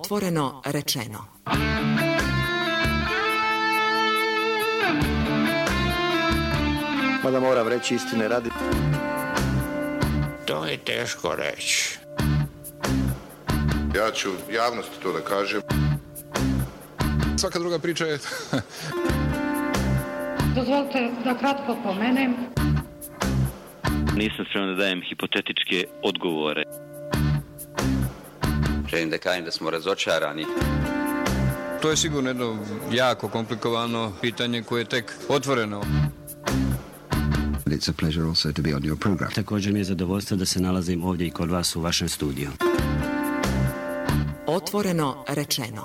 Otvoreno rečeno. Mada moram reći istine radi. To je teško reći. Ja ću javnosti to da kažem. Svaka druga priča je... Dozvolite da kratko pomenem. Nisam spreman da dajem hipotetičke odgovore. Želim da kažem da smo razočarani. To je sigurno jedno jako komplikovano pitanje koje je tek otvoreno. It's a pleasure also to be on your program. Također mi je zadovoljstvo da se nalazim ovdje i kod vas u vašem studiju. Otvoreno rečeno.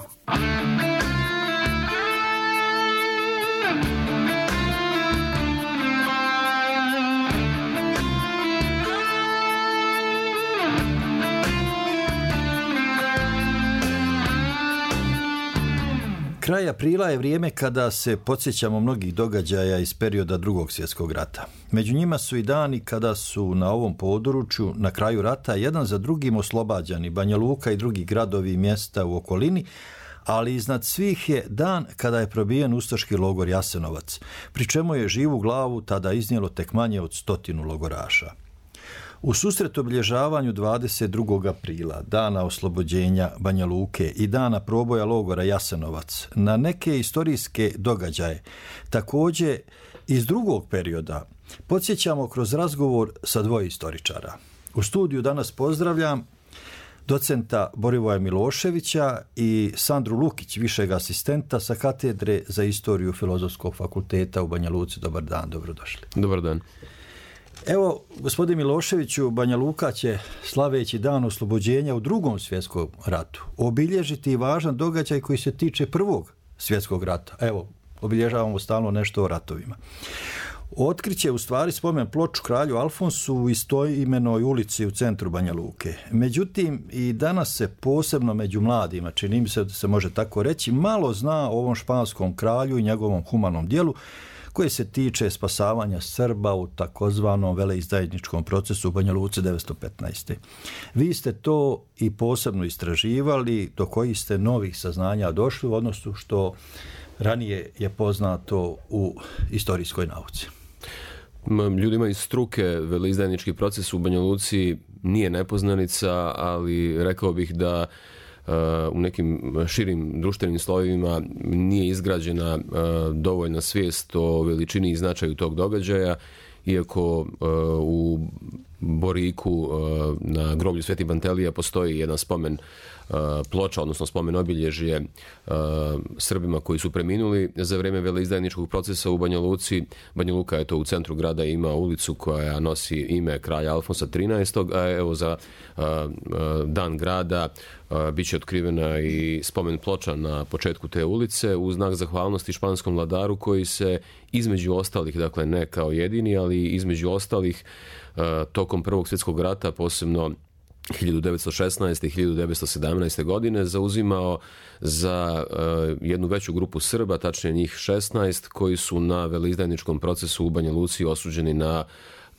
Kraj aprila je vrijeme kada se podsjećamo mnogih događaja iz perioda Drugog svjetskog rata. Među njima su i dani kada su na ovom području na kraju rata jedan za drugim oslobađani Banja Luka i drugi gradovi i mjesta u okolini, ali iznad svih je dan kada je probijen ustaški logor Jasenovac, pri čemu je živu glavu tada iznijelo tek manje od 100 logoraša. U susret obilježavanju 22. aprila, dana oslobođenja Banja Luke i dana proboja logora Jasenovac, na neke istorijske događaje, također iz drugog perioda, podsjećamo kroz razgovor sa dvoje istoričara. U studiju danas pozdravljam docenta Borivoja Miloševića i Sandru Lukić, višeg asistenta sa katedre za istoriju Filozofskog fakulteta u Banja Luci. Dobar dan, dobrodošli. Dobar dan. Evo, gospodin Miloševiću, Banja Luka će, slaveći dan oslobođenja u Drugom svjetskom ratu, obilježiti važan događaj koji se tiče Prvog svjetskog rata. Evo, obilježavamo stalno nešto o ratovima. Otkriće u stvari spomen ploču kralju Alfonsu u istoimenoj ulici u centru Banja Luke. Međutim, i danas se posebno među mladima, čini mi se da se može tako reći, malo zna o ovom španskom kralju i njegovom humanom djelu koje se tiče spasavanja Srba u takozvanom veleizdajničkom procesu u Banja Luci 1915. Vi ste to i posebno istraživali, do kojih ste novih saznanja došli u odnosu što ranije je poznato u istorijskoj nauci. Ljudima iz struke veleizdajnički proces u Banja Luci nije nepoznanica, ali rekao bih da u nekim širim društvenim slojevima nije izgrađena dovoljna svijest o veličini i značaju tog događaja, iako u Boriku na groblju Sveti Pantelija postoji jedan spomen ploča, odnosno spomen obilježje Srbima koji su preminuli za vrijeme veleizdajničkog procesa u Banja Luci. Banja Luka je to u centru grada ima ulicu koja nosi ime kralja Alfonsa XIII, a evo za dan grada bit će otkrivena i spomen ploča na početku te ulice u znak zahvalnosti španskom vladaru koji se između ostalih, dakle ne kao jedini, ali između ostalih tokom Prvog svjetskog rata, posebno 1916. i 1917. godine zauzimao za jednu veću grupu Srba, tačnije njih 16, koji su na veleizdajničkom procesu u Banja Luci osuđeni na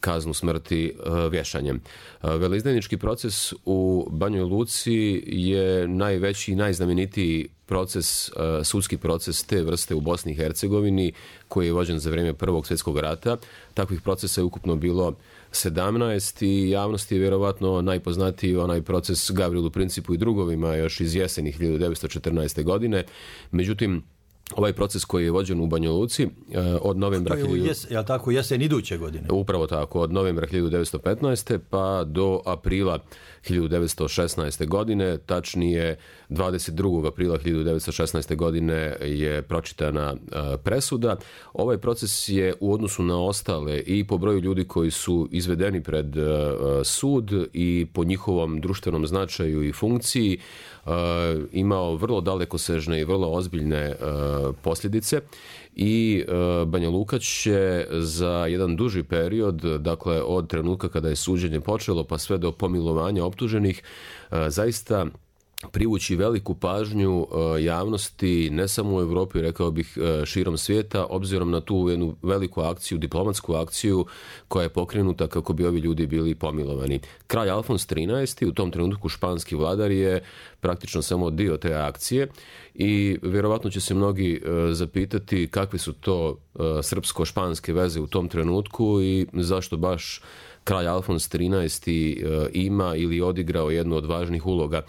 kaznu smrti vješanjem. Veleizdajnički proces u Banjoj Luci je najveći i najznamenitiji proces, sudski proces te vrste u Bosni i Hercegovini koji je vođen za vrijeme Prvog svjetskog rata. Takvih procesa je ukupno bilo 17 i javnosti je vjerovatno najpoznatiji onaj proces Gavrilu Principu i drugovima još iz jeseni 1914. godine. Međutim, ovaj proces koji je vođen u Banja Luci od novembra... Jel tako, jesen iduće godine? Upravo tako, od novembra 1915. pa do aprila 1916. godine, tačnije 22. aprila 1916. godine je pročitana presuda. Ovaj proces je u odnosu na ostale i po broju ljudi koji su izvedeni pred sud i po njihovom društvenom značaju i funkciji imao vrlo dalekosežne i vrlo ozbiljne posljedice i Banja Luka će za jedan duži period, dakle od trenutka kada je suđenje počelo pa sve do pomilovanja optuženih, zaista privući veliku pažnju javnosti, ne samo u Europi, rekao bih širom svijeta, obzirom na tu jednu veliku akciju, diplomatsku akciju koja je pokrenuta kako bi ovi ljudi bili pomilovani. Kralj Alfons XIII, u tom trenutku španski vladar, je praktično samo dio te akcije i vjerovatno će se mnogi zapitati kakve su to srpsko-španske veze u tom trenutku i zašto baš kralj Alfons XIII ima ili odigrao jednu od važnih uloga.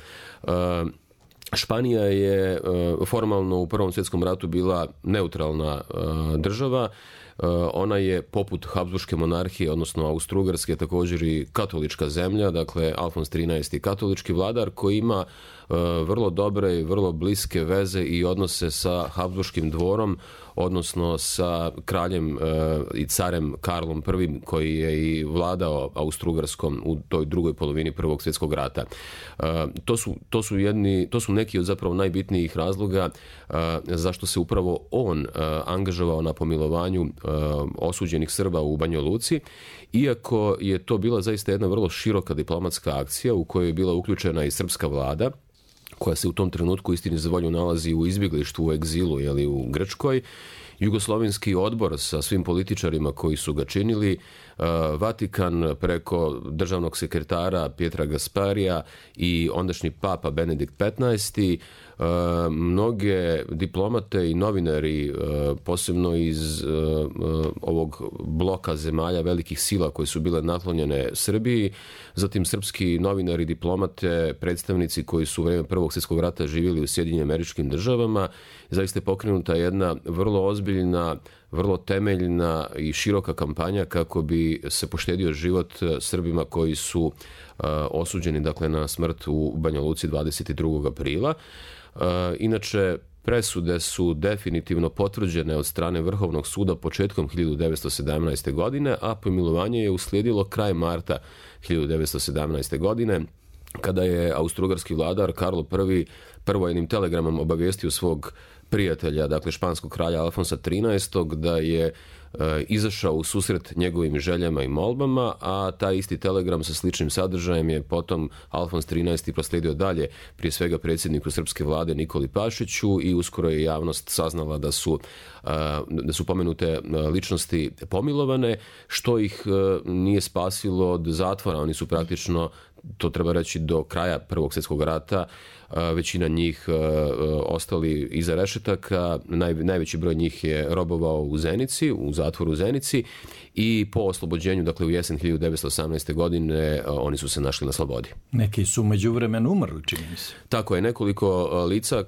Španija je formalno u Prvom svjetskom ratu bila neutralna država. Ona je poput Habsburške monarhije, odnosno Austro-Ugarske, također i katolička zemlja, dakle Alfons XIII katolički vladar koji ima vrlo dobre i vrlo bliske veze i odnose sa Habsburškim dvorom, odnosno sa kraljem i carem Karlom I koji je i vladao Austro-Ugarskom u toj drugoj polovini Prvog svjetskog rata. To su neki od zapravo najbitnijih razloga zašto se upravo on angažovao na pomilovanju osuđenih Srba u Banja Luci, iako je to bila zaista jedna vrlo široka diplomatska akcija u kojoj je bila uključena i srpska vlada, koja se u tom trenutku istini za volju nalazi u izbjeglištvu, u egzilu, u Grčkoj, Jugoslovenski odbor sa svim političarima koji su ga činili, Vatikan preko državnog sekretara Pietra Gasparija i ondašnji papa Benedikt XV, mnoge diplomate i novinari, posebno iz ovog bloka zemalja velikih sila koje su bile naklonjene Srbiji, zatim srpski novinari, diplomate, predstavnici koji su u vrijeme Prvog svjetskog rata živjeli u Sjedinjenim Američkim Državama. Zaista je pokrenuta jedna vrlo ozbiljna, vrlo temeljna i široka kampanja kako bi se poštedio život Srbima koji su osuđeni, dakle, na smrt u Banja Luci 22. aprila. Inače, presude su definitivno potvrđene od strane Vrhovnog suda početkom 1917. godine, a pomilovanje je uslijedilo kraj marta 1917. godine, kada je austrougarski vladar Karlo I prvo jednim telegramom obavijestio svog prijatelja, dakle španskog kralja Alfonsa XIII, da je izašao u susret njegovim željama i molbama, a taj isti telegram sa sličnim sadržajem je potom Alfons XIII proslijedio dalje, prije svega predsjedniku srpske vlade Nikoli Pašiću, i uskoro je javnost saznala da su pomenute ličnosti pomilovane, što ih nije spasilo od zatvora. Oni su praktično, to treba reći, do kraja Prvog svjetskog rata većina njih ostali iza rešetaka. Najveći broj njih je robovao u Zenici, u zatvoru u Zenici, i po oslobođenju, dakle u jesen 1918. godine, oni su se našli na slobodi. Neki su međuvremenu umrli, čini mi se. Tako je, nekoliko lica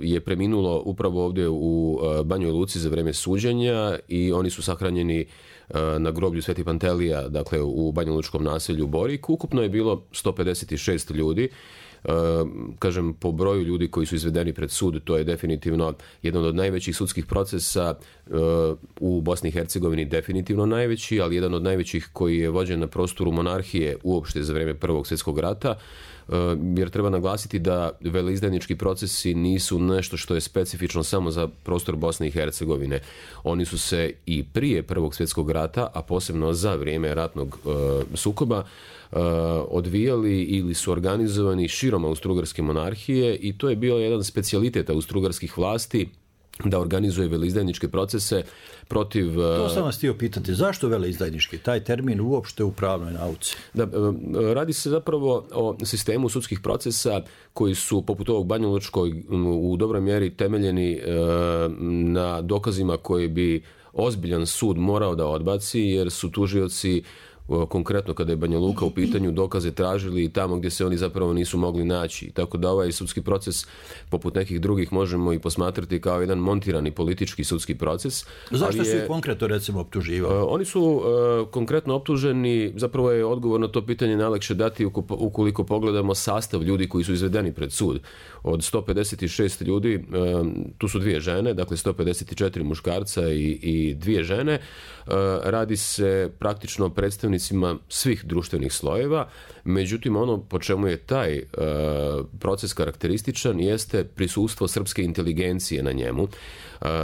je preminulo upravo ovdje u Banjoj Luci za vrijeme suđenja i oni su sahranjeni na groblju Sveti Pantelija, dakle u banjalučkom naselju Borik. Ukupno je bilo 156 ljudi. Kažem, po broju ljudi koji su izvedeni pred sud, to je definitivno jedan od najvećih sudskih procesa u Bosni i Hercegovini, definitivno najveći, ali jedan od najvećih koji je vođen na prostoru monarhije uopšte za vrijeme Prvog svjetskog rata, jer treba naglasiti da veleizdajnički procesi nisu nešto što je specifično samo za prostor Bosne i Hercegovine. Oni su se i prije Prvog svjetskog rata, a posebno za vrijeme ratnog sukoba, odvijali ili su organizovani širom Austrougarske monarhije, i to je bio jedan specijalitet austrougarskih vlasti da organizuje veleizdajničke procese protiv... To sam vas htio pitati, zašto veleizdajnički? Taj termin uopšte u pravnoj nauci. Radi se zapravo o sistemu sudskih procesa koji su, poput ovog banjalučkog, u dobroj mjeri temeljeni na dokazima koje bi ozbiljan sud morao da odbaci, jer su tužioci, konkretno kada je Banja Luka u pitanju, dokaze tražili tamo gdje se oni zapravo nisu mogli naći. Tako da ovaj sudski proces, poput nekih drugih, možemo i posmatrati kao jedan montirani politički sudski proces. Zašto su ih konkretno, recimo, optuživali? Oni su konkretno optuženi, zapravo je odgovor na to pitanje najlakše dati ukoliko pogledamo sastav ljudi koji su izvedeni pred sud. Od 156 ljudi, tu su 2 žene, dakle 154 muškarca i 2 žene. Radi se praktično o predstavnicima predstavnicima svih društvenih slojeva, međutim ono po čemu je taj proces karakterističan jeste prisustvo srpske inteligencije na njemu.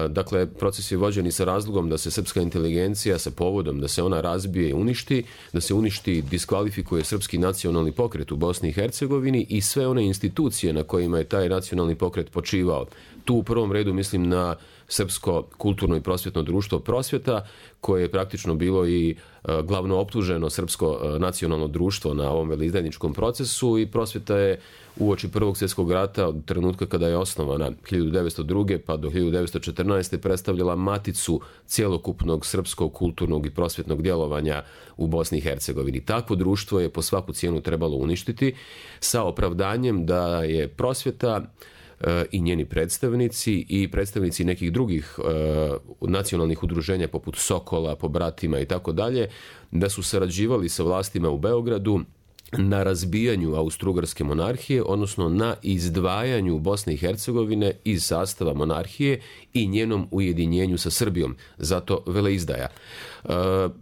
Dakle, proces je vođen i sa razlogom da se srpska inteligencija sa povodom da se ona razbije i uništi, da se uništi, diskvalifikuje srpski nacionalni pokret u Bosni i Hercegovini i sve one institucije na kojima je taj nacionalni pokret počivao. Tu u prvom redu mislim na Srpsko kulturno i prosvjetno društvo Prosvjeta, koje je praktično bilo i glavno optuženo Srpsko nacionalno društvo na ovom veleizdajničkom procesu, i Prosvjeta je uoči Prvog svjetskog rata, od trenutka kada je osnovana 1902. pa do 1914. predstavljala maticu cjelokupnog srpskog kulturnog i prosvjetnog djelovanja u Bosni i Hercegovini. Takvo društvo je po svaku cijenu trebalo uništiti sa opravdanjem da je Prosvjeta i njeni predstavnici i predstavnici nekih drugih nacionalnih udruženja poput Sokola, Pobratima i tako dalje, da su sarađivali sa vlastima u Beogradu na razbijanju Austro-Ugarske monarhije, odnosno na izdvajanju Bosne i Hercegovine iz sastava monarhije i njenom ujedinjenju sa Srbijom, zato veleizdaja.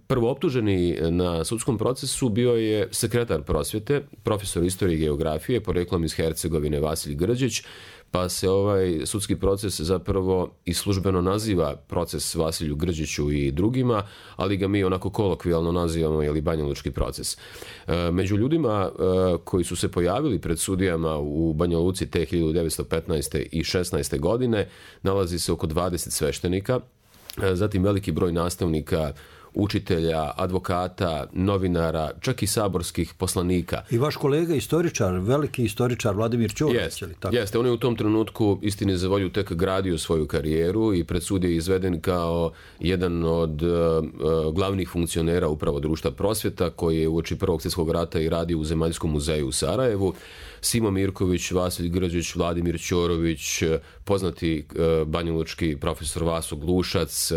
Prvo optuženi na sudskom procesu bio je sekretar Prosvjete, profesor istorije i geografije, poreklom iz Hercegovine, Vasilij Grđić, pa se ovaj sudski proces zapravo i službeno naziva proces Vasilju Grđiću i drugima, ali ga mi onako kolokvijalno nazivamo Banjalučki proces. Među ljudima koji su se pojavili pred sudijama u Banja Luci te 1915. i 16. godine nalazi se oko 20 sveštenika, zatim veliki broj nastavnika, učitelja, advokata, novinara, čak i saborskih poslanika. I vaš kolega istoričar, veliki istoričar Vladimir Ćorović. Jeste, on je u tom trenutku, istini za volju, tek gradio svoju karijeru i pred sud je izveden kao jedan od glavnih funkcionera upravo društva Prosvjeta, koji je uoči Prvog svjetskog rata i radio u Zemaljskom muzeju u Sarajevu. Simo Mirković, Vasilij Grđić, Vladimir Ćorović, poznati banjalučki profesor Vaso Glušac,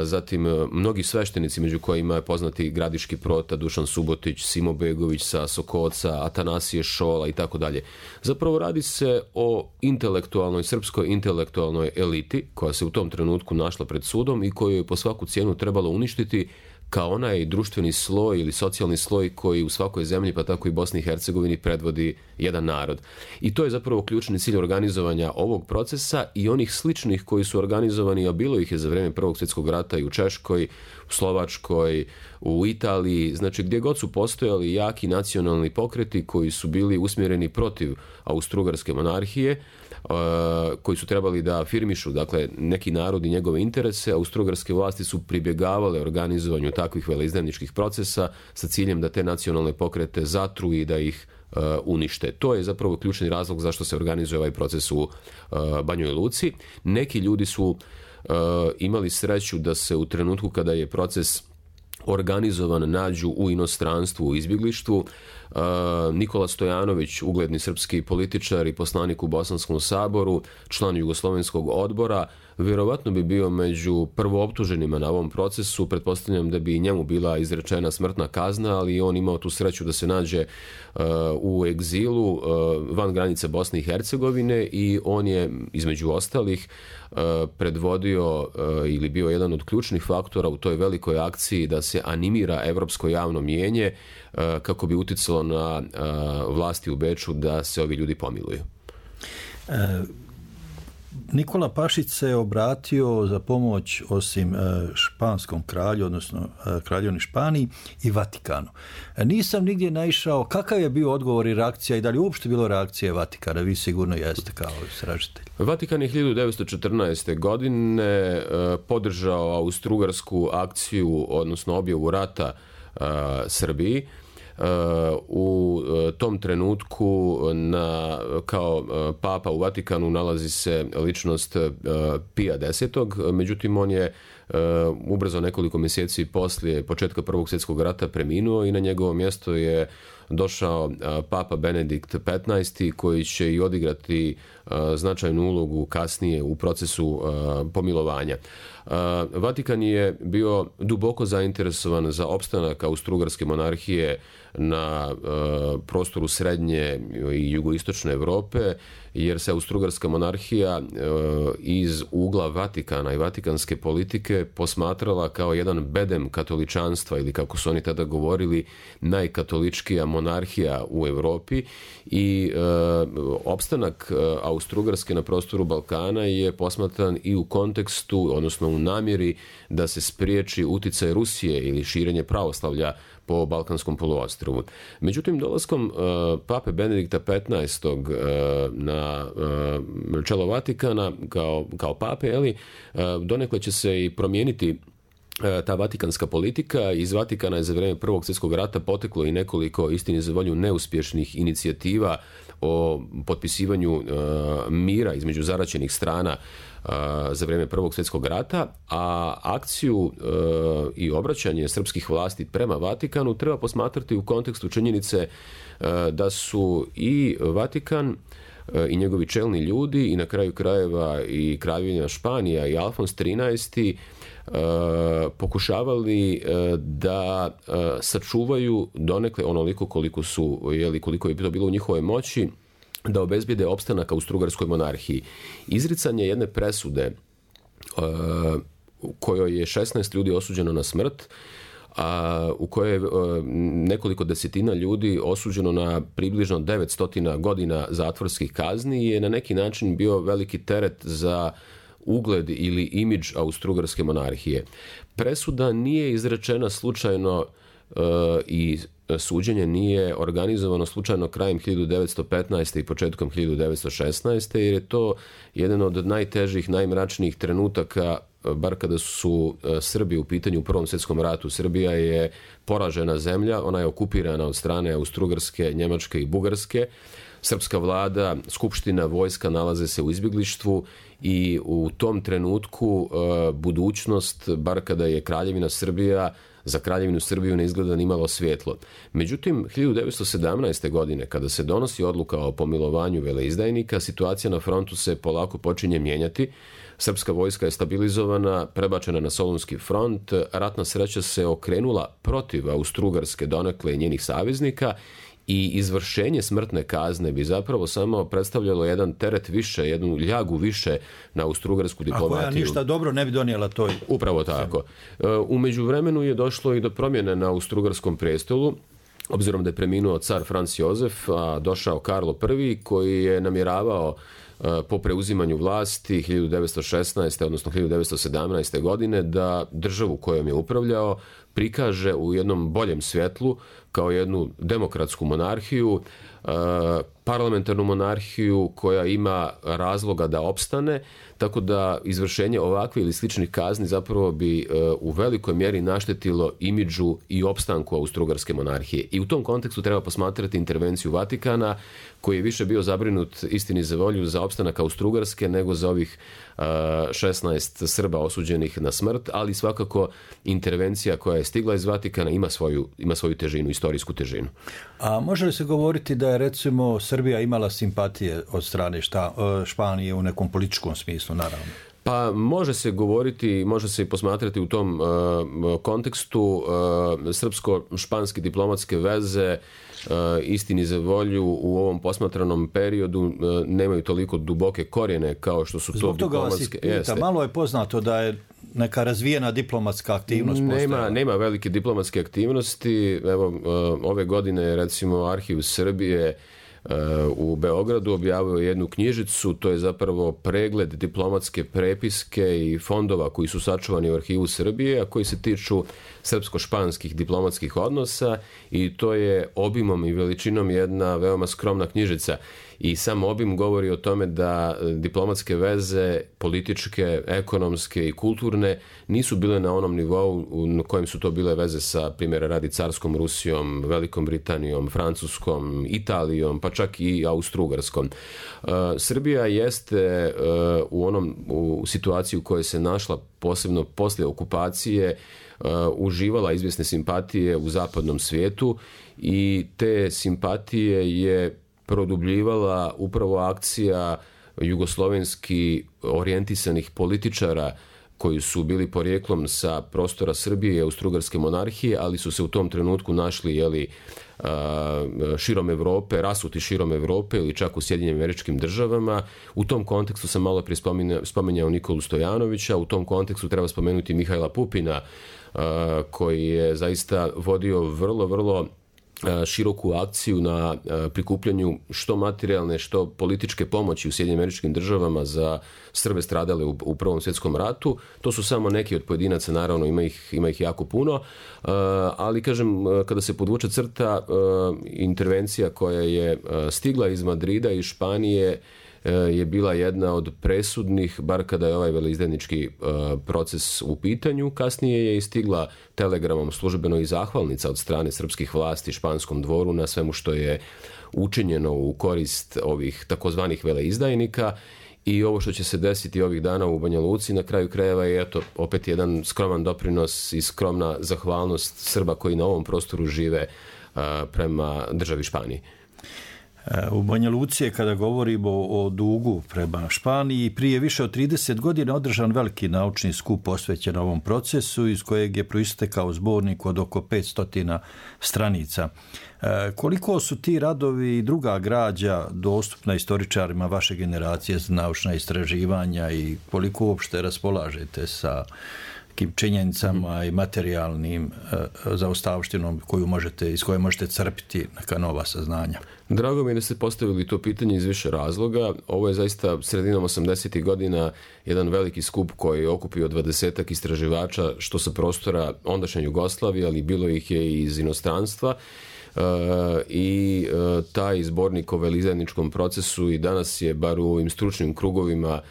zatim mnogi sveštenici, među kojima je poznati Gradiški prota, Dušan Subotić, Simo Begović sa Sokoca, Atanasije Šola i tako dalje. Zapravo radi se o intelektualnoj, srpskoj intelektualnoj eliti koja se u tom trenutku našla pred sudom i koju je po svaku cijenu trebalo uništiti kao onaj društveni sloj ili socijalni sloj koji u svakoj zemlji, pa tako i Bosni i Hercegovini, predvodi jedan narod. I to je zapravo ključni cilj organizovanja ovog procesa i onih sličnih koji su organizovani, a bilo ih je za vrijeme Prvog svjetskog rata i u Češkoj, u Slovačkoj, u Italiji, znači gdje god su postojali jaki nacionalni pokreti koji su bili usmjereni protiv Austro-Ugarske monarhije, koji su trebali da afirmišu, dakle, neki narod i njegove interese. Austro-Ugarske vlasti su pribjegavale organizovanju takvih veleizdajničkih procesa sa ciljem da te nacionalne pokrete zatru i da ih unište. To je zapravo ključni razlog zašto se organizuje ovaj proces u Banjoj Luci. Neki ljudi su imali sreću da se u trenutku kada je proces organizovan nađu u inostranstvu, u izbjeglištvu. Nikola Stojanović, ugledni srpski političar i poslanik u Bosanskom saboru, član Jugoslovenskog odbora, vjerovatno bi bio među prvooptuženima na ovom procesu. Pretpostavljam da bi i njemu bila izrečena smrtna kazna, ali on imao tu sreću da se nađe u egzilu van granica Bosne i Hercegovine i on je, između ostalih, predvodio ili bio jedan od ključnih faktora u toj velikoj akciji da se animira evropsko javno mnijenje kako bi uticalo na vlasti u Beču da se ovi ljudi pomiluju. Nikola Pašić se obratio za pomoć osim španskom kralju, odnosno kraljevini Španiji i Vatikanu. Nisam nigdje naišao kakav je bio odgovor i reakcija i da li uopšte bilo reakcije Vatikana, vi sigurno jeste kao istražitelj. Vatikan je 1914. godine podržao austro-ugarsku akciju, odnosno objavu rata Srbiji. U tom trenutku kao papa u Vatikanu nalazi se ličnost Pija X. Međutim, on je ubrzo nekoliko mjeseci poslije početka Prvog svjetskog rata preminuo i na njegovo mjesto je došao Papa Benedikt XV koji će i odigrati značajnu ulogu kasnije u procesu pomilovanja. Vatikan je bio duboko zainteresovan za opstanak Austro-Ugarske monarhije na prostoru srednje i jugoistočne Europe, jer se Austro-Ugarska monarhija iz ugla Vatikana i vatikanske politike posmatrala kao jedan bedem katoličanstva, ili kako su oni tada govorili, najkatoličkija monarhija u Europi, i opstanak Austro-Ugarske na prostoru Balkana je posmatran i u kontekstu, odnosno u namjeri da se spriječi uticaj Rusije ili širenje pravoslavlja po Balkanskom poluostrvu. Međutim, dolaskom Pape Benedikta XV na čelo Vatikana kao pape, donekle će se i promijeniti ta vatikanska politika. Iz Vatikana je za vrijeme Prvog svjetskog rata poteklo i nekoliko, istini za volju, neuspješnih inicijativa o potpisivanju mira između zaraćenih strana za vrijeme Prvog svjetskog rata, a akciju i obraćanje srpskih vlasti prema Vatikanu treba posmatrati u kontekstu činjenice da su i Vatikan i njegovi čelni ljudi i na kraju krajeva i kraljevina Španija i Alfons XIII pokušavali da sačuvaju donekle onoliko koliko je to bilo u njihovoj moći, da obezbijede opstanak Austro-Ugarskoj monarhiji. Izricanje jedne presude u kojoj je 16 ljudi osuđeno na smrt, a u kojoj je nekoliko desetina ljudi osuđeno na približno 900 godina zatvorskih kazni, je na neki način bio veliki teret za ugled ili imidž Austro-Ugarske monarhije. Presuda nije izrečena slučajno i suđenje nije organizovano slučajno krajem 1915. i početkom 1916. jer je to jedan od najtežih, najmračnijih trenutaka, bar kada su Srbi u pitanju u Prvom svjetskom ratu. Srbija je poražena zemlja, ona je okupirana od strane Austro-Ugarske, Njemačke i Bugarske. Srpska vlada, skupština, vojska nalaze se u izbjeglištvu i u tom trenutku budućnost, bar kada je Kraljevina Srbija, za Kraljevinu Srbiju ne izgleda ni malo svjetlo. Međutim, 1917. godine, kada se donosi odluka o pomilovanju veleizdajnika, situacija na frontu se polako počinje mijenjati. Srpska vojska je stabilizovana, prebačena na Solunski front, ratna sreća se okrenula protiv Austro-Ugarske donekle i njenih saveznika, i izvršenje smrtne kazne bi zapravo samo predstavljalo jedan teret više, jednu ljagu više na Austro-Ugarsku diplomatiju. A koja ništa dobro ne bi donijela toj... Upravo tako. U međuvremenu je došlo i do promjene na Austro-Ugarskom prestolu, obzirom da je preminuo car Franz Josef, a došao Karlo I, koji je namjeravao po preuzimanju vlasti 1916. odnosno 1917. godine da državu kojom je upravljao prikaže u jednom boljem svjetlu kao jednu demokratsku monarhiju, parlamentarnu monarhiju koja ima razloga da opstane, tako da izvršenje ovakve ili sličnih kazni zapravo bi u velikoj mjeri naštetilo imidžu i opstanku Austro-Ugarske monarhije. I u tom kontekstu treba posmatrati intervenciju Vatikana, koji je više bio zabrinut, istini za volju, za opstanak Austro-Ugarske nego za ovih 16 Srba osuđenih na smrt, ali svakako intervencija koja je stigla iz Vatikana ima svoju težinu, istorijsku težinu. A može li se govoriti da je recimo Srbija imala simpatije od strane Španije u nekom političkom smislu, naravno? Pa može se govoriti, može se i posmatrati u tom kontekstu. Srpsko-španske diplomatske veze, istini za volju, u ovom posmatranom periodu nemaju toliko duboke korijene kao što su to zbog diplomatske... Toga vas malo je poznato da je neka razvijena diplomatska aktivnost postojala. Nema velike diplomatske aktivnosti. Evo, ove godine recimo Arhiv Srbije u Beogradu objavio jednu knjižicu, to je zapravo pregled diplomatske prepiske i fondova koji su sačuvani u Arhivu Srbije, a koji se tiču srpsko-španskih diplomatskih odnosa, i to je obimom i veličinom jedna veoma skromna knjižica. I sam obim govori o tome da diplomatske veze, političke, ekonomske i kulturne nisu bile na onom nivou na kojem su to bile veze sa, primjera radi, Carskom Rusijom, Velikom Britanijom, Francuskom, Italijom, pa čak i Austro-Ugarskom. Srbija jeste u situaciji u kojoj se našla, posebno poslije okupacije, uživala izvjesne simpatije u zapadnom svijetu i te simpatije je produbljivala upravo akcija jugoslovenski orijentisanih političara koji su bili porijeklom sa prostora Srbije i Austro-Ugarske monarhije, ali su se u tom trenutku našli širom Europe, rasuti širom Europe ili čak u Sjedinjenim Američkim Državama. U tom kontekstu sam malo prije spominjao Nikolu Stojanovića, u tom kontekstu treba spomenuti Mihajla Pupina, koji je zaista vodio vrlo široku akciju na prikupljanju što materijalne, što političke pomoći u Sjedinjenim Američkim Državama za Srbe stradale u Prvom svjetskom ratu. To su samo neki od pojedinaca, naravno ima ih jako puno, ali kažem, kada se podvuče crta, intervencija koja je stigla iz Madrida i Španije je bila jedna od presudnih, bar kada je ovaj veleizdajnički proces u pitanju. Kasnije je i stigla telegramom službeno i zahvalnica od strane srpskih vlasti španskom dvoru na svemu što je učinjeno u korist ovih takozvanih veleizdajnika. I ovo što će se desiti ovih dana u Banja Luci na kraju krajeva je opet jedan skroman doprinos i skromna zahvalnost Srba koji na ovom prostoru žive prema državi Španiji. U Banja Luci je, kada govorimo o dugu prema Španiji, prije više od 30 godina održan veliki naučni skup posvećen ovom procesu, iz kojeg je proistekao zbornik od oko 500 stranica. Koliko su ti radovi i druga građa dostupna istoričarima vaše generacije za naučna istraživanja i koliko uopšte raspolažete sa činjenicama i materijalnim zaostavštinom iz koje možete crpiti neka nova saznanja? Drago mi je da ste postavili to pitanje iz više razloga. Ovo je zaista sredinom 80. godina jedan veliki skup koji je okupio 20-ak istraživača, što sa prostora ondašnje Jugoslavije, ali bilo ih je i iz inostranstva. I taj zbornik o veleizdajničkom procesu i danas je, bar u ovim stručnim krugovima,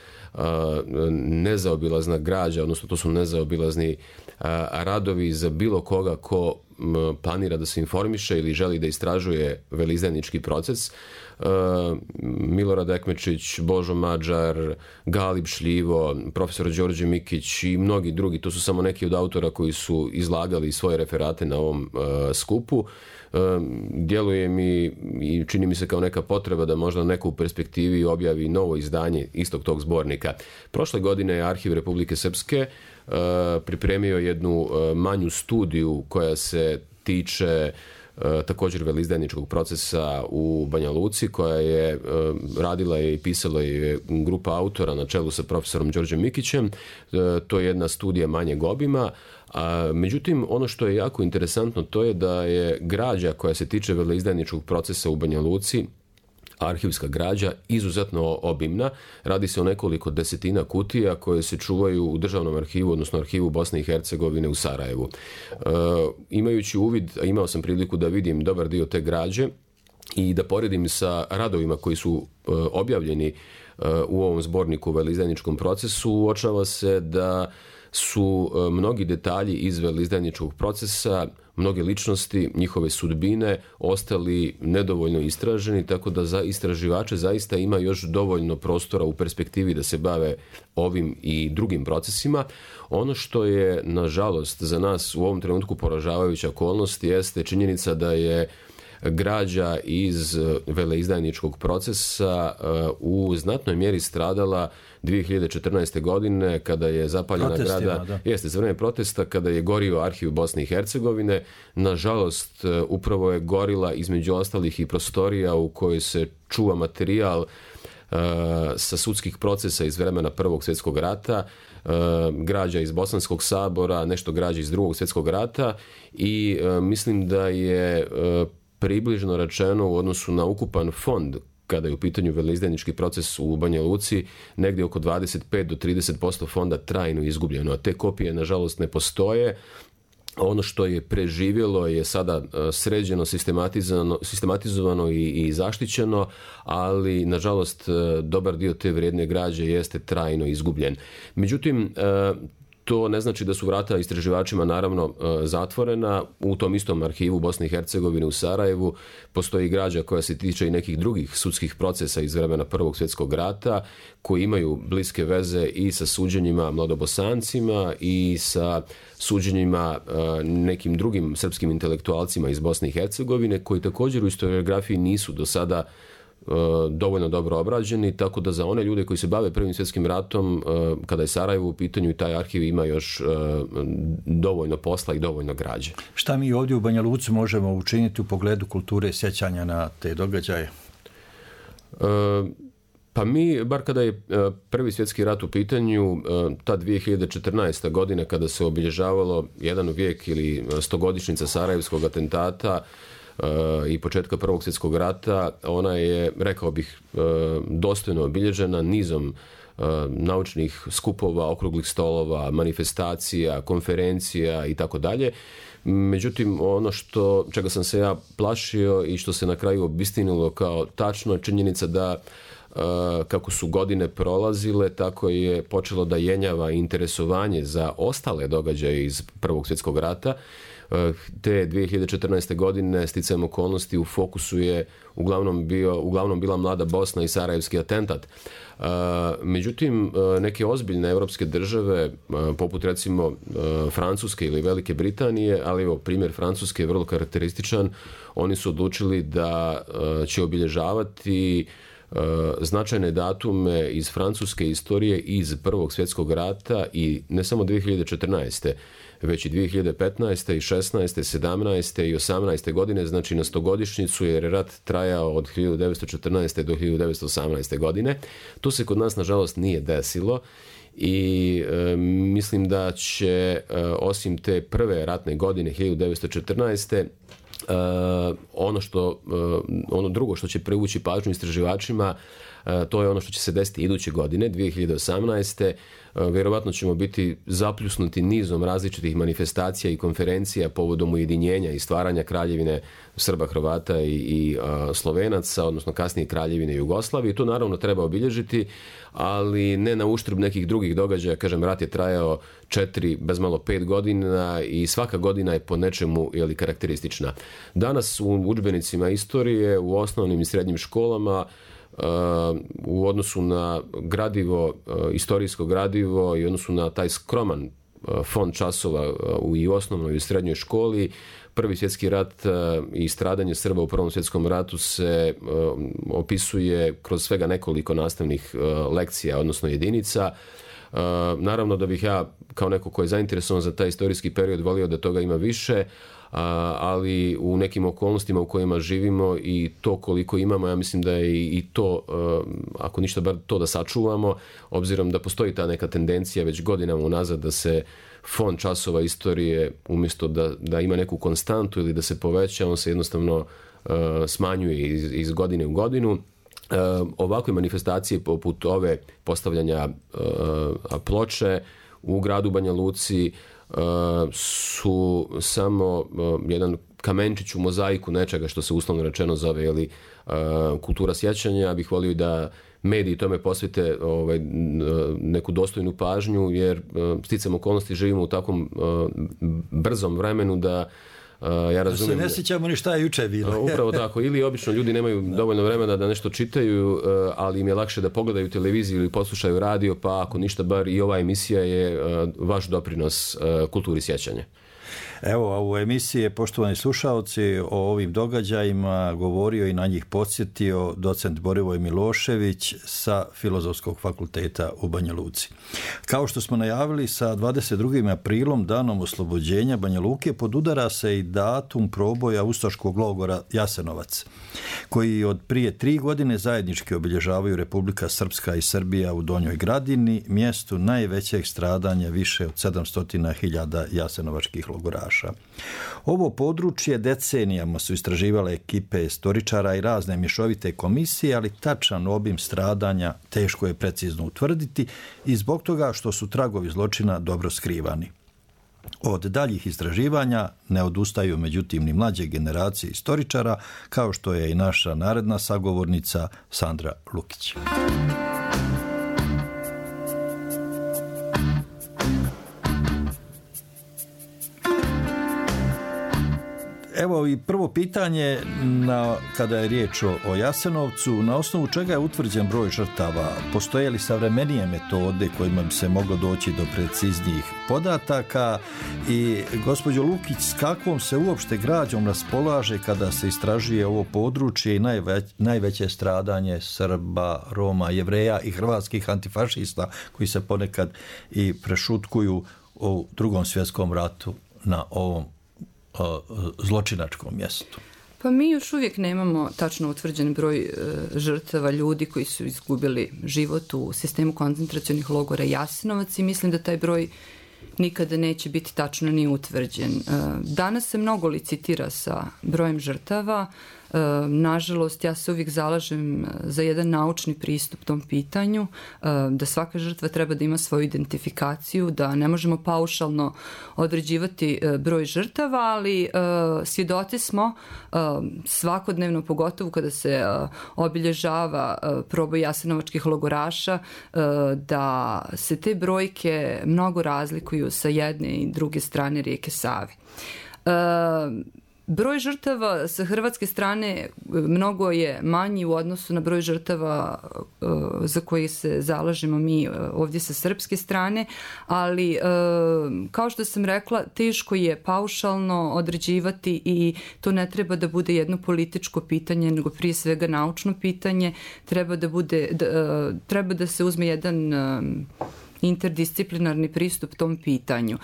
nezaobilazna građa, odnosno to su nezaobilazni radovi za bilo koga ko planira da se informiše ili želi da istražuje veleizdajnički proces. Milorad Ekmečić, Božo Mađar, Galib Šljivo, profesor Đorđe Mikić i mnogi drugi, to su samo neki od autora koji su izlagali svoje referate na ovom skupu. Djeluje mi i čini mi se kao neka potreba da možda neko u perspektivi objavi novo izdanje istog tog zbornika. Prošle godine je Arhiv Republike Srpske pripremio jednu manju studiju koja se tiče također veleizdajničkog procesa u Banja Luci, koja je radila i pisala je grupa autora na čelu sa profesorom Đorđem Mikićem. To je jedna studija manjeg obima. Međutim, ono što je jako interesantno, to je da je građa koja se tiče veleizdajničkog procesa u Banja Luci, arhivska građa, izuzetno obimna. Radi se o nekoliko desetina kutija koje se čuvaju u državnom arhivu, odnosno arhivu Bosne i Hercegovine u Sarajevu. Imajući uvid, a imao sam priliku da vidim dobar dio te građe i da poredim sa radovima koji su objavljeni u ovom zborniku o veleizdajničkom procesu, uočava se da su mnogi detalji iz veleizdajničkog procesa, mnoge ličnosti, njihove sudbine ostali nedovoljno istraženi, tako da za istraživače zaista ima još dovoljno prostora u perspektivi da se bave ovim i drugim procesima. Ono što je, nažalost, za nas u ovom trenutku poražavajuća okolnost jeste činjenica da je građa iz veleizdajničkog procesa u znatnoj mjeri stradala 2014. godine kada je zapaljena grada, jeste za vrijeme protesta, kada je gorio arhiv Bosne i Hercegovine. Nažalost, upravo je gorila između ostalih i prostorija u kojoj se čuva materijal sa sudskih procesa iz vremena Prvog svjetskog rata, građa iz Bosanskog sabora, nešto građa iz Drugog svjetskog rata i mislim da je približno rečeno u odnosu na ukupan fond kada je u pitanju veleizdajnički proces u Banja Luci, negdje oko 25 do 30% fonda trajno izgubljeno, a te kopije nažalost ne postoje. ono što je preživjelo je sada sređeno, sistematizovano i zaštićeno, ali nažalost dobar dio te vrijedne građe jeste trajno izgubljen. Međutim, to ne znači da su vrata istraživačima naravno zatvorena. U tom istom arhivu Bosne i Hercegovine u Sarajevu postoji građa koja se tiče i nekih drugih sudskih procesa iz vremena Prvog svjetskog rata koji imaju bliske veze i sa suđenjima mladobosancima i sa suđenjima nekim drugim srpskim intelektualcima iz Bosne i Hercegovine koji također u historiografiji nisu do sada dovoljno dobro obrađeni, tako da za one ljude koji se bave Prvim svjetskim ratom, kada je Sarajevo u pitanju i taj arhiv ima još dovoljno posla i dovoljno građe. Šta mi ovdje u Banja Luci možemo učiniti u pogledu kulture sjećanja na te događaje? Pa mi, bar kada je Prvi svjetski rat u pitanju, ta 2014. godina kada se obilježavalo jedan vijek ili 100-godišnjica Sarajevskog atentata i početka Prvog svjetskog rata, ona je, rekao bih, dostojno obilježena nizom naučnih skupova, okruglih stolova, manifestacija, konferencija i tako dalje. Međutim, ono čega sam se ja plašio i što se na kraju obistinilo kao tačno, činjenica da kako su godine prolazile, tako je počelo da jenjava interesovanje za ostale događaje iz Prvog svjetskog rata. Te 2014. godine sticajem okolnosti u fokusu je uglavnom bila mlada Bosna i sarajevski atentat. Međutim, neke ozbiljne europske države, poput recimo Francuske ili Velike Britanije, ali evo primjer Francuske je vrlo karakterističan, oni su odlučili da će obilježavati značajne datume iz francuske istorije iz Prvog svjetskog rata i ne samo 2014. već i 2015. i 16. 17. i 18. godine, znači na 100-godišnjicu, jer je rat trajao od 1914. do 1918. godine. To se kod nas nažalost nije desilo i mislim da će osim te prve ratne godine 1914. Ono drugo što će privući pažnju istraživačima, to je ono što će se desiti iduće godine, 2018. Vjerovatno ćemo biti zapljusnuti nizom različitih manifestacija i konferencija povodom ujedinjenja i stvaranja kraljevine Srba, Hrvata i Slovenaca, odnosno kasnije kraljevine Jugoslavije. To naravno treba obilježiti, ali ne na uštrb nekih drugih događaja. Kažem, rat je trajao 4, bez malo 5 godina i svaka godina je po nečemu karakteristična. Danas u udžbenicima istorije, u osnovnim i srednjim školama, u odnosu na gradivo, istorijsko gradivo i odnosu na taj skroman fond časova i u osnovnoj i u srednjoj školi, Prvi svjetski rat i stradanje Srba u Prvom svjetskom ratu se opisuje kroz svega nekoliko nastavnih lekcija, odnosno jedinica. Naravno da bih ja, kao neko ko je zainteresovan za taj istorijski period, volio da toga ima više, ali u nekim okolnostima u kojima živimo i to koliko imamo, ja mislim da je i to, ako ništa bar to da sačuvamo, obzirom da postoji ta neka tendencija već godinama unazad da se fond časova istorije, umjesto da ima neku konstantu ili da se poveća, on se jednostavno smanjuje iz godine u godinu. Ovakve manifestacije poput ove postavljanja ploče u gradu Banja Luci su samo jedan kamenčić u mozaiku nečega što se uslovno rečeno zove kultura sjećanja. Ja bih volio da mediji tome posvete neku dostojnu pažnju, jer sticam okolnosti živimo u takvom brzom vremenu da ja razumijem. Da se ne sjećamo ni šta je juče bilo. Upravo tako. Ili obično ljudi nemaju dovoljno vremena da nešto čitaju, ali im je lakše da pogledaju televiziju ili poslušaju radio, pa ako ništa bar i ova emisija je vaš doprinos kulturi sjećanja. Evo, u emisiji, poštovani slušaoci, o ovim događajima govorio i na njih podsjetio docent Borivoj Milošević sa Filozofskog fakulteta u Banja Luci. Kao što smo najavili, sa 22. aprilom, danom oslobođenja Banja Luke, podudara se i datum proboja ustaškog logora Jasenovac, koji od prije 3 godine zajednički obilježavaju Republika Srpska i Srbija u Donjoj Gradini, mjestu najvećeg stradanja više od 700.000 jasenovačkih logoraša. Ovo područje decenijama su istraživale ekipe istoričara i razne mješovite komisije, ali tačan obim stradanja teško je precizno utvrditi i zbog toga što su tragovi zločina dobro skrivani. Od daljih istraživanja ne odustaju međutim ni mlađe generacije istoričara, kao što je i naša naredna sagovornica Sandra Lukić. Evo i prvo pitanje kada je riječ o Jasenovcu, na osnovu čega je utvrđen broj žrtava? Postoje li savremenije metode kojima bi se moglo doći do preciznijih podataka? I gospođo Lukić, s kakvom se uopšte građom raspolaže kada se istražuje ovo područje i najveće stradanje Srba, Roma, Jevreja i hrvatskih antifašista koji se ponekad i prešutkuju u Drugom svjetskom ratu na ovom zločinačkom mjestu? Pa mi još uvijek nemamo tačno utvrđen broj žrtava, ljudi koji su izgubili život u sistemu koncentracionih logora Jasenovac i mislim da taj broj nikada neće biti tačno ni utvrđen. Danas se mnogo licitira sa brojem žrtava. Nažalost, ja se uvijek zalažem za jedan naučni pristup tom pitanju, da svaka žrtva treba da ima svoju identifikaciju, da ne možemo paušalno određivati broj žrtava, ali svjedoci smo svakodnevno, pogotovo kada se obilježava proboj jasenovačkih logoraša, da se te brojke mnogo razlikuju sa jedne i druge strane rijeke Save. Broj žrtava sa hrvatske strane mnogo je manji u odnosu na broj žrtava za koji se zalažemo mi ovdje sa srpske strane, ali kao što sam rekla, teško je paušalno određivati i to ne treba da bude jedno političko pitanje, nego prije svega naučno pitanje. Treba da se uzme jedan interdisciplinarni pristup tom pitanju.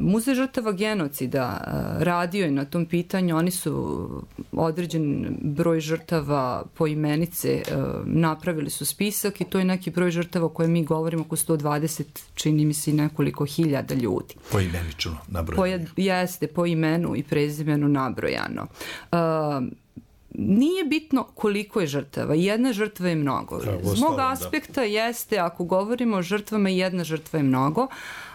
Muzej žrtava genocida radio je na tom pitanju, oni su određen broj žrtava poimenice, napravili su spisak i to je neki broj žrtava o kojem mi govorimo, oko 120, čini mi se i nekoliko hiljada ljudi. Poimenično nabrojano. Jeste, po imenu i prezimenu nabrojano. Nije bitno koliko je žrtava, jedna žrtva je mnogo. Z mog aspekta jeste, ako govorimo o žrtvama, jedna žrtva je mnogo,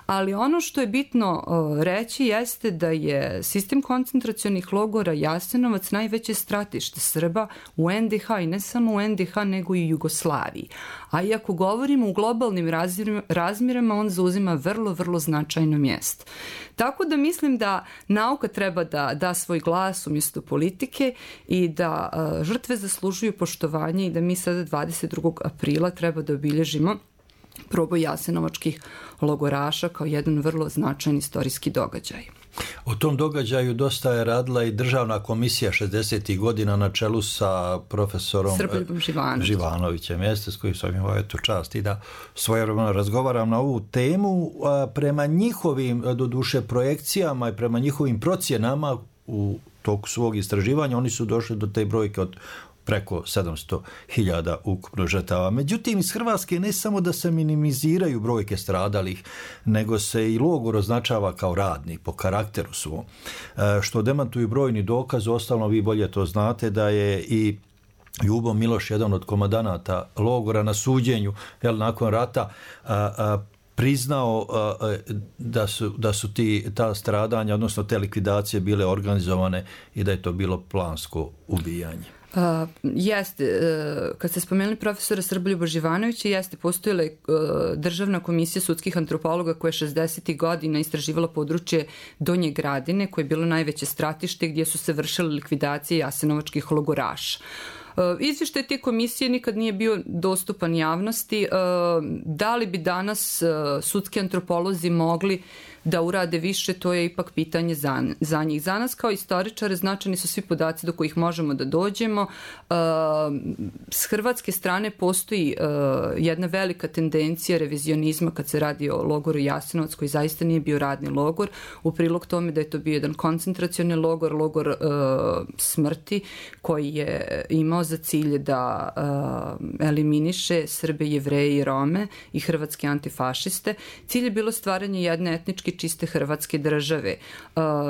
ali ono što je bitno reći jeste da je sistem koncentracionih logora Jasenovac najveće stratište Srba u NDH i ne samo u NDH nego i u Jugoslaviji. A i ako govorimo u globalnim razmjerama, on zauzima vrlo, vrlo značajno mjesto. Tako da mislim da nauka treba da da svoj glas umjesto politike i da žrtve zaslužuju poštovanje i da mi sada 22. aprila treba da obilježimo proboj jasenovačkih logoraša kao jedan vrlo značajan istorijski događaj. O tom događaju dosta je radila i državna komisija 60. godina na čelu sa profesorom Srboljubom Živanovićem, s kojim sam imao čast i da svojevremeno razgovaram na ovu temu. Prema njihovim, doduše, projekcijama i prema njihovim procjenama u toku svog istraživanja oni su došli do te brojke od preko 700.000 ukupno žrtava. Međutim, iz Hrvatske ne samo da se minimiziraju brojke stradalih, nego se i logor označava kao radni po karakteru svom. Što demantuju brojni dokaz, ostalno vi bolje to znate, da je i Ljubo Miloš, jedan od komandanata logora, na suđenju nakon rata priznao da su ta stradanja, odnosno te likvidacije bile organizovane i da je to bilo plansko ubijanje. Jeste, kad ste spomenuli profesora Srboljuba Živanovića, jeste, postojala je državna komisija sudskih antropologa koja je 60. godina istraživala područje Donje Gradine, koje je bilo najveće stratište gdje su se vršile likvidacije jasenovačkih logoraša. Izvještaj te komisije nikad nije bio dostupan javnosti. Da li bi danas sudski antropolozi mogli da urade više, to je ipak pitanje za njih. Za nas kao istoričare značajni su svi podaci do kojih možemo da dođemo. S hrvatske strane postoji jedna velika tendencija revizionizma kad se radi o logoru Jasenovac, koji zaista nije bio radni logor, u prilog tome da je to bio jedan koncentracioni logor, logor smrti, koji je imao za cilj da eliminiše Srbe, Jevreje i Rome i hrvatske antifašiste. Cilj je bilo stvaranje jedne etnički čiste hrvatske države.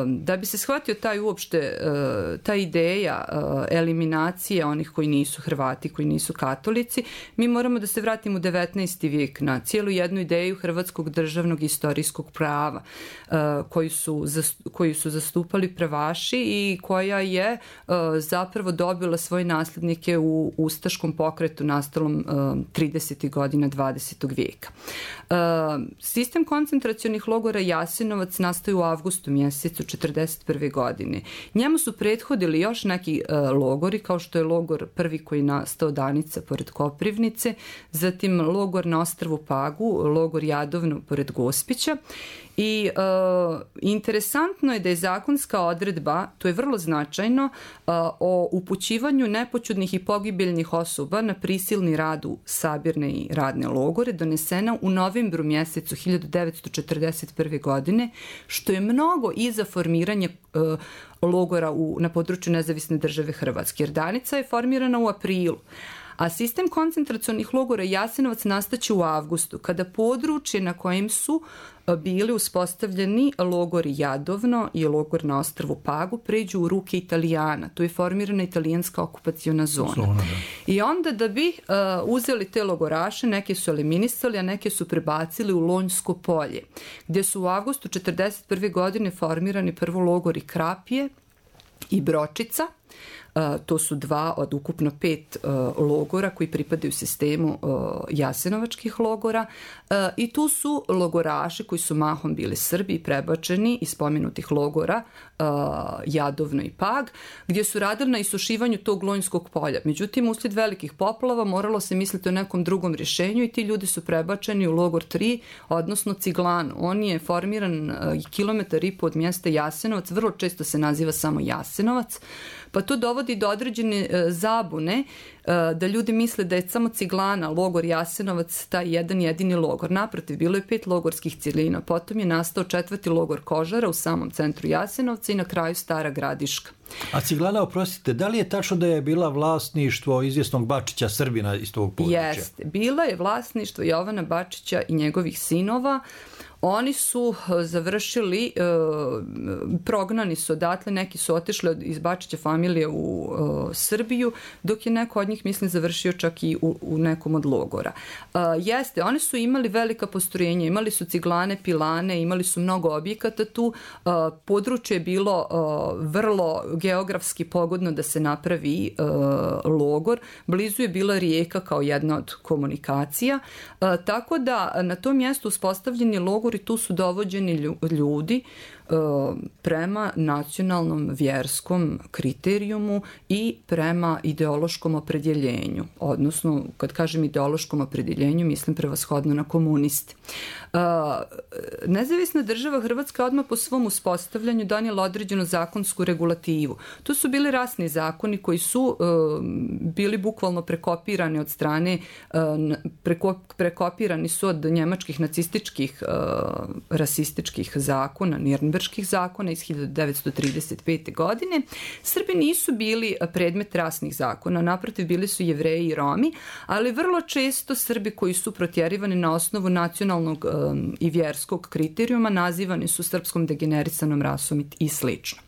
Da bi se shvatio ta ideja eliminacije onih koji nisu Hrvati, koji nisu katolici, mi moramo da se vratimo u 19. vijek na cijelu jednu ideju hrvatskog državnog istorijskog prava koju su zastupali pravaši i koja je zapravo dobila svoje nasljednike u ustaškom pokretu nastalom 30. godina 20. vijeka. Sistem koncentracionih logora Jasenovac nastaje u avgustu mjesecu 1941. godine. Njemu su prethodili još neki logori, kao što je logor prvi koji je nastao Danica pored Koprivnice, zatim logor na ostrvu Pagu, logor Jadovno pored Gospića. I interesantno je da je zakonska odredba, to je vrlo značajno, o upućivanju nepoćudnih i pogibeljnih osoba na prisilni rad u sabirne i radne logore donesena u novembru mjesecu 1941. godine, što je mnogo iza formiranja logora na području nezavisne države Hrvatske. Jer Danica je formirana u aprilu, a sistem koncentracionih logora Jasenovac nastaće u avgustu, kada područje na kojem su bili uspostavljeni logori Jadovno i logor na ostrvu Pagu pređu u ruke Italijana. Tu je formirana italijanska okupaciona zona. I onda da bi uzeli te logoraše, neke su eliminisali, a neke su prebacili u Lonjsko polje, gdje su u avgustu 1941. godine formirani prvo logori Krapje i Bročica. To su 2 od ukupno 5 logora koji pripadaju sistemu jasenovačkih logora i tu su logoraši koji su mahom bili Srbi prebačeni iz spomenutih logora Jadovno i Pag, gdje su radili na isušivanju tog Lonjskog polja. Međutim, uslijed velikih poplava moralo se misliti o nekom drugom rješenju i ti ljudi su prebačeni u logor 3, odnosno Ciglanu. On je formiran kilometar i po od mjesta Jasenovac, vrlo često se naziva samo Jasenovac, pa to dovodi do određene zabune da ljudi misle da je samo Ciglana, logor Jasenovac, taj jedan jedini logor. Naprotiv, bilo je 5 logorskih cjelina, potom je nastao 4. logor Kožara u samom centru Jasenovca i na kraju Stara Gradiška. A Ciglana, oprostite, da li je tačno da je bila vlasništvo izvjesnog Bačića, Srbina iz tog područja? Jeste, bila je vlasništvo Jovana Bačića i njegovih sinova. Oni su završili, prognani su odatle, neki su otišli iz Bačića familije u Srbiju, dok je neko od njih, mislim, završio čak i u nekom od logora. Jeste, oni su imali velika postrojenja, imali su ciglane, pilane, imali su mnogo objekata tu, područje je bilo vrlo geografski pogodno da se napravi logor, blizu je bila rijeka kao jedna od komunikacija, tako da na tom mjestu uspostavljeni logor i tu su dovođeni ljudi prema nacionalnom vjerskom kriterijumu i prema ideološkom opredjeljenju. Odnosno, kad kažem ideološkom opredjeljenju, mislim prevashodno na komuniste. Nezavisna država Hrvatska odmah po svom uspostavljanju donijela određenu zakonsku regulativu. To su bili rasni zakoni koji su bili bukvalno prekopirani od strane, prekopirani su od njemačkih nacističkih rasističkih zakona, Nirnberških zakona iz 1935. godine. Srbi nisu bili predmet rasnih zakona, naprotiv bili su Jevreji i Romi, ali vrlo često Srbi koji su protjerivani na osnovu nacionalnog i vjerskog kriterijuma nazivani su srpskom degenerisanom rasom i slično.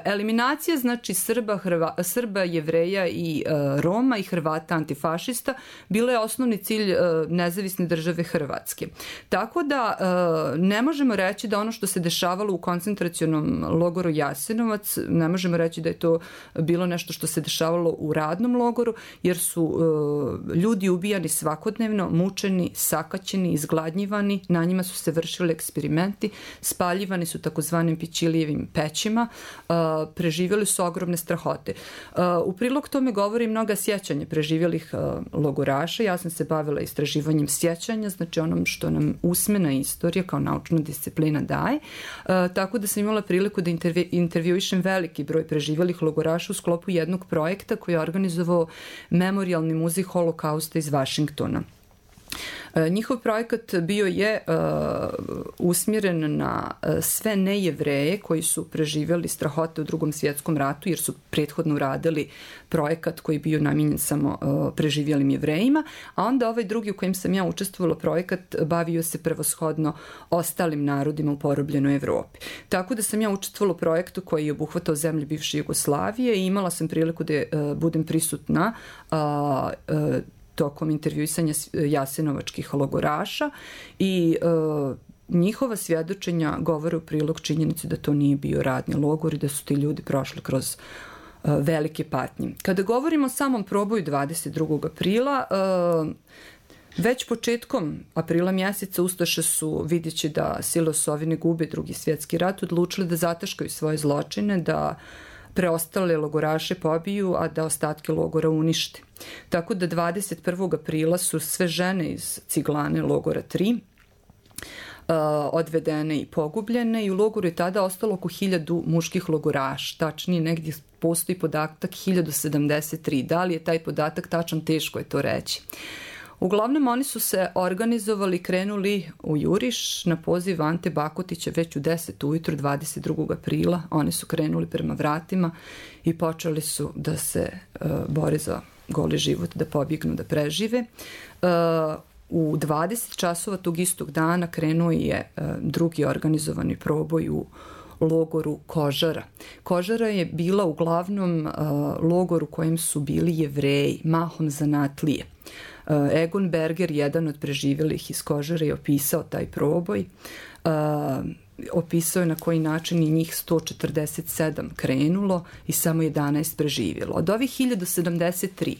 Eliminacija, znači Srba, Jevreja i Roma i Hrvata antifašista bila je osnovni cilj nezavisne države Hrvatske. Tako da ne možemo reći da ono što se dešavalo u koncentracionom logoru Jasenovac, ne možemo reći da je to bilo nešto što se dešavalo u radnom logoru, jer su ljudi ubijani svakodnevno, mučeni, sakaćeni, izgladnjivani, na njima su se vršili eksperimenti, spaljivani su takozvanim Pičilijevim pećima, preživjeli su ogromne strahote. U prilog tome govori mnoga sjećanja preživjelih logoraša. Ja sam se bavila istraživanjem sjećanja, znači onom što nam usmena istorija kao naučna disciplina daje. Tako da sam imala priliku da intervjuišem veliki broj preživjelih logoraša u sklopu jednog projekta koji je organizovao Memorijalni muzej Holokausta iz Vašingtona. Njihov projekat bio je usmjeren na sve nejevreje koji su preživjeli strahote u Drugom svjetskom ratu, jer su prethodno uradili projekat koji je bio namijenjen samo preživjelim Jevrejima, a onda ovaj drugi u kojem sam ja učestvovala projekat bavio se prevashodno ostalim narodima u porobljenoj Evropi. Tako da sam ja učestvovala u projektu koji je obuhvatao zemlje bivše Jugoslavije i imala sam priliku da budem prisutna tokom intervjuisanja jasenovačkih logoraša i njihova svjedočenja govore u prilog činjenici da to nije bio radni logor i da su ti ljudi prošli kroz velike patnje. Kada govorimo o samom proboju 22. aprila, već početkom aprila mjeseca ustaše su, vidjeći da sile osovine gube Drugi svjetski rat, odlučili da zataškaju svoje zločine, da preostale logoraše pobiju, a da ostatke logora unište. Tako da 21. aprila su sve žene iz Ciglane logora 3 odvedene i pogubljene i u logoru je tada ostalo oko 1000 muških logoraša. Tačnije, negdje postoji podatak 1073. Da li je taj podatak tačan, teško je to reći. Uglavnom, oni su se organizovali, krenuli u juriš na poziv Ante Bakotića već u 10 ujutro 22. aprila. Oni su krenuli prema vratima i počeli su da se bore za goli život, da pobjegnu, da prežive. U 20 časova tog istog dana krenuo je drugi organizovani proboj u logoru Kožara. Kožara je bila uglavnom logor u kojem su bili Jevreji, mahom zanatlije. Egon Berger, jedan od preživjelih iz Kožare, je opisao taj proboj. Opisao je na koji način i njih 147 krenulo i samo 11 preživjelo. Od ovih 1073,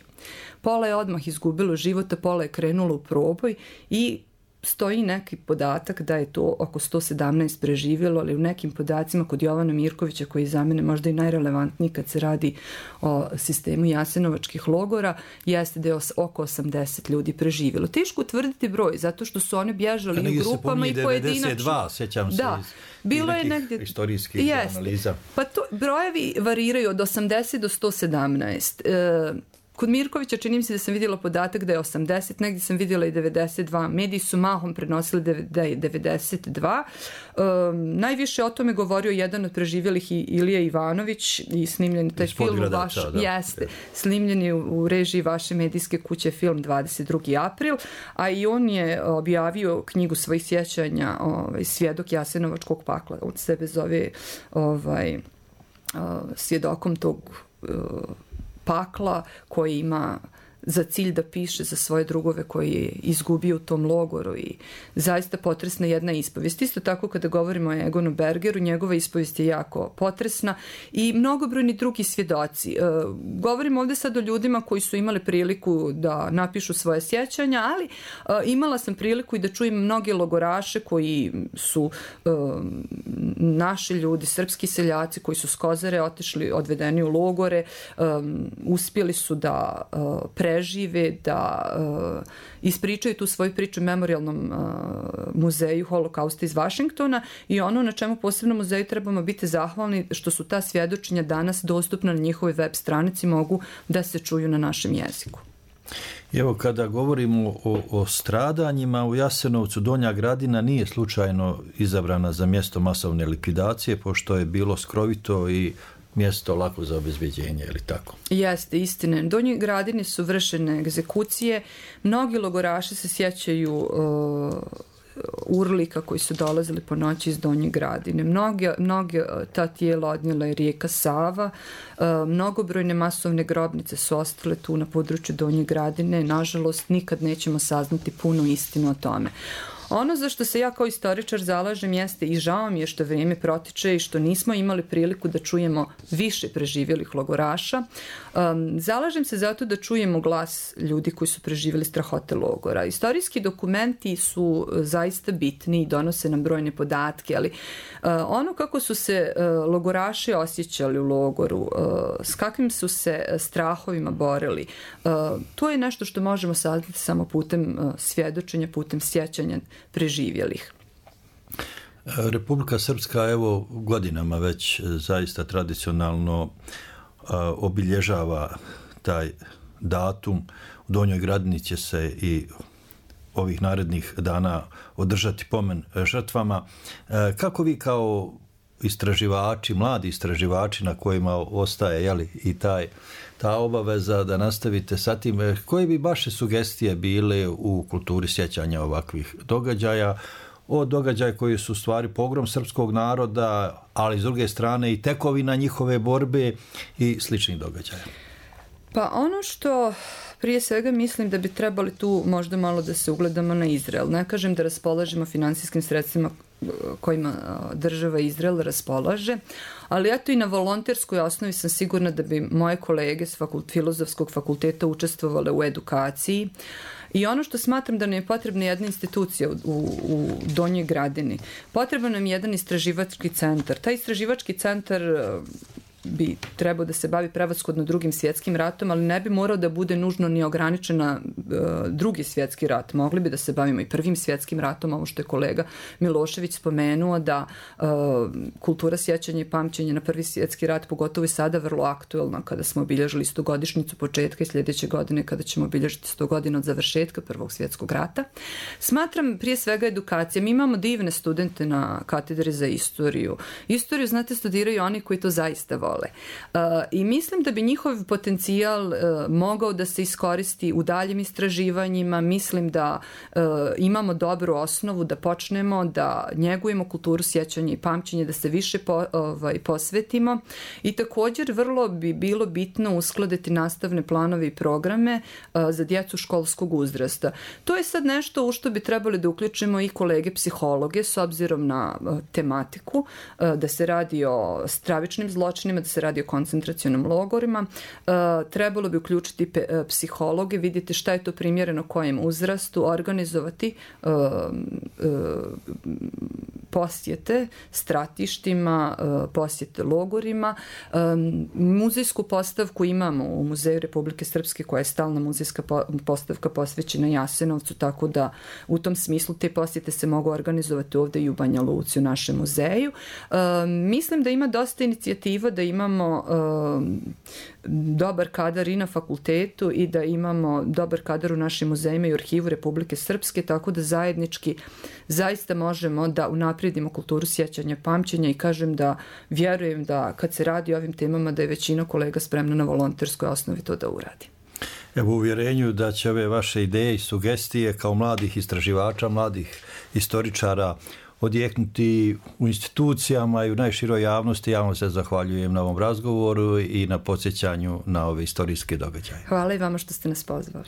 pola je odmah izgubilo života, pola je krenulo u proboj i stoji neki podatak da je to oko 117 preživjelo, ali u nekim podacima kod Jovana Mirkovića, koji je za mene možda i najrelevantniji kad se radi o sistemu jasenovačkih logora, jeste da je oko 80 ljudi preživjelo. Teško utvrditi broj, zato što su oni bježali u grupama i pojedinačno. 92, sjećam se da, bilo je negdje historijskih analiza. Pa to, brojevi variraju od 80 do 117. Kod Mirkovića čini mi se da sam vidjela podatak da je 80, negdje sam vidjela i 92. Mediji su mahom prenosili da je 92. Najviše o tome govorio jedan od preživjelih Ilija Ivanović i snimljen taj film jeste, snimljen je u režiji vaše medijske kuće film 22. april, a i on je objavio knjigu svojih sjećanja, Svjedok Jasenovačkog pakla. On sebe zove svjedokom tog pakla, koji ima za cilj da piše za svoje drugove koji je izgubio u tom logoru i zaista potresna jedna ispovijest. Isto tako kada govorimo o Egonu Bergeru, njegova ispovijest je jako potresna i mnogobrojni drugi svjedoci. Govorimo ovdje sad o ljudima koji su imali priliku da napišu svoje sjećanja, ali imala sam priliku i da čujem mnoge logoraše koji su naši ljudi, srpski seljaci koji su s Kozare otišli, odvedeni u logore, uspjeli su da prežive, da ispričaju tu svoju priču Memorijalnom muzeju Holokausta iz Vašingtona i ono na čemu posebno muzeju trebamo biti zahvalni što su ta svjedočenja danas dostupna na njihovoj web stranici, mogu da se čuju na našem jeziku. Evo, kada govorimo o stradanjima u Jasenovcu, Donja Gradina nije slučajno izabrana za mjesto masovne likvidacije, pošto je bilo skrovito i mjesto lako za obezbeđenje, ili tako? Jeste, istine. Donjoj Gradini su vršene egzekucije. Mnogi logoraši se sjećaju urlika koji su dolazili po noći iz Donje Gradine. Mnoge ta tijela odnijela je rijeka Sava. Mnogobrojne masovne grobnice su ostale tu na području Donje Gradine. Nažalost, nikad nećemo saznati punu istinu o tome. Ono za što se ja kao istoričar zalažem jeste i žao mi je što vrijeme protiče i što nismo imali priliku da čujemo više preživjelih logoraša. Zalažem se zato da čujemo glas ljudi koji su preživjeli strahote logora. Istorijski dokumenti su zaista bitni i donose nam brojne podatke, ali ono kako su se logoraši osjećali u logoru, s kakvim su se strahovima borili, to je nešto što možemo saznati samo putem svjedočenja, putem sjećanja preživjelih. Republika Srpska evo godinama već zaista tradicionalno obilježava taj datum. U Donjoj Gradini će se i ovih narednih dana održati pomen žrtvama. Kako vi kao istraživači, mladi istraživači na kojima ostaje i ta obaveza da nastavite sa tim, koje bi vaše sugestije bile u kulturi sjećanja ovakvih događaja, od događaja koji su u stvari pogrom srpskog naroda, ali s druge strane i tekovina njihove borbe i sličnih događaja? Pa ono što prije svega mislim da bi trebali tu možda malo da se ugledamo na Izrael. Ne kažem da raspolažemo finansijskim sredstvima kojima država Izrael raspolaže, ali eto i na volonterskoj osnovi sam sigurna da bi moje kolege s Filozofskog fakulteta učestvovale u edukaciji. I ono što smatram da nam je potrebna jedna institucija u Donjoj Gradini. Potreban nam je jedan istraživački centar. Taj istraživački centar bi trebao da se bavi prevashodno Drugim svjetskim ratom, ali ne bi morao da bude nužno ni ograničen na Drugi svjetski rat. Mogli bi da se bavimo i Prvim svjetskim ratom, ovo što je kolega Milošević spomenuo, da kultura sjećanja i pamćenja na Prvi svjetski rat, pogotovo i sada vrlo aktuelna, kada smo obilježili 100-godišnjicu početka i sljedeće godine kada ćemo obilježiti 100 godina od završetka Prvog svjetskog rata. Smatram prije svega edukacija. Mi imamo divne studente na katedri za istoriju. Istoriju, znate, studiraju oni koji to zaista vole. I mislim da bi njihov potencijal mogao da se iskoristi u daljim istraživanjima. Mislim da imamo dobru osnovu da počnemo da njegujemo kulturu sjećanja i pamćenja, da se više posvetimo i također vrlo bi bilo bitno uskladiti nastavne planove i programe za djecu školskog uzrasta. To je sad nešto u što bi trebali da uključimo i kolege psihologe s obzirom na tematiku, da se radi o stravičnim zločinima, da se radi o koncentracionim logorima. Trebalo bi uključiti psihologe, vidjeti šta je to primjereno kojem uzrastu, organizovati posjete stratištima, posjete logorima. Muzejsku postavku imamo u Muzeju Republike Srpske koja je stalna muzejska postavka posvećena Jasenovcu, tako da u tom smislu te posjete se mogu organizovati ovdje i u Banja Luci u našem muzeju. Mislim da ima dosta inicijativa, da imamo dobar kadar i na fakultetu i da imamo dobar kadar u našim muzejima i u arhivu Republike Srpske, tako da zajednički zaista možemo da unaprijedimo kulturu sjećanja pamćenja i kažem da vjerujem da kad se radi o ovim temama da je većina kolega spremna na volonterskoj osnovi to da uradi. Evo, u uvjerenju da će ove vaše ideje i sugestije kao mladih istraživača, mladih istoričara odjeknuti u institucijama i u najširoj javnosti. Javno se zahvaljujem na ovom razgovoru i na podsjećanju na ove istorijske događaje. Hvala i vama što ste nas pozvali.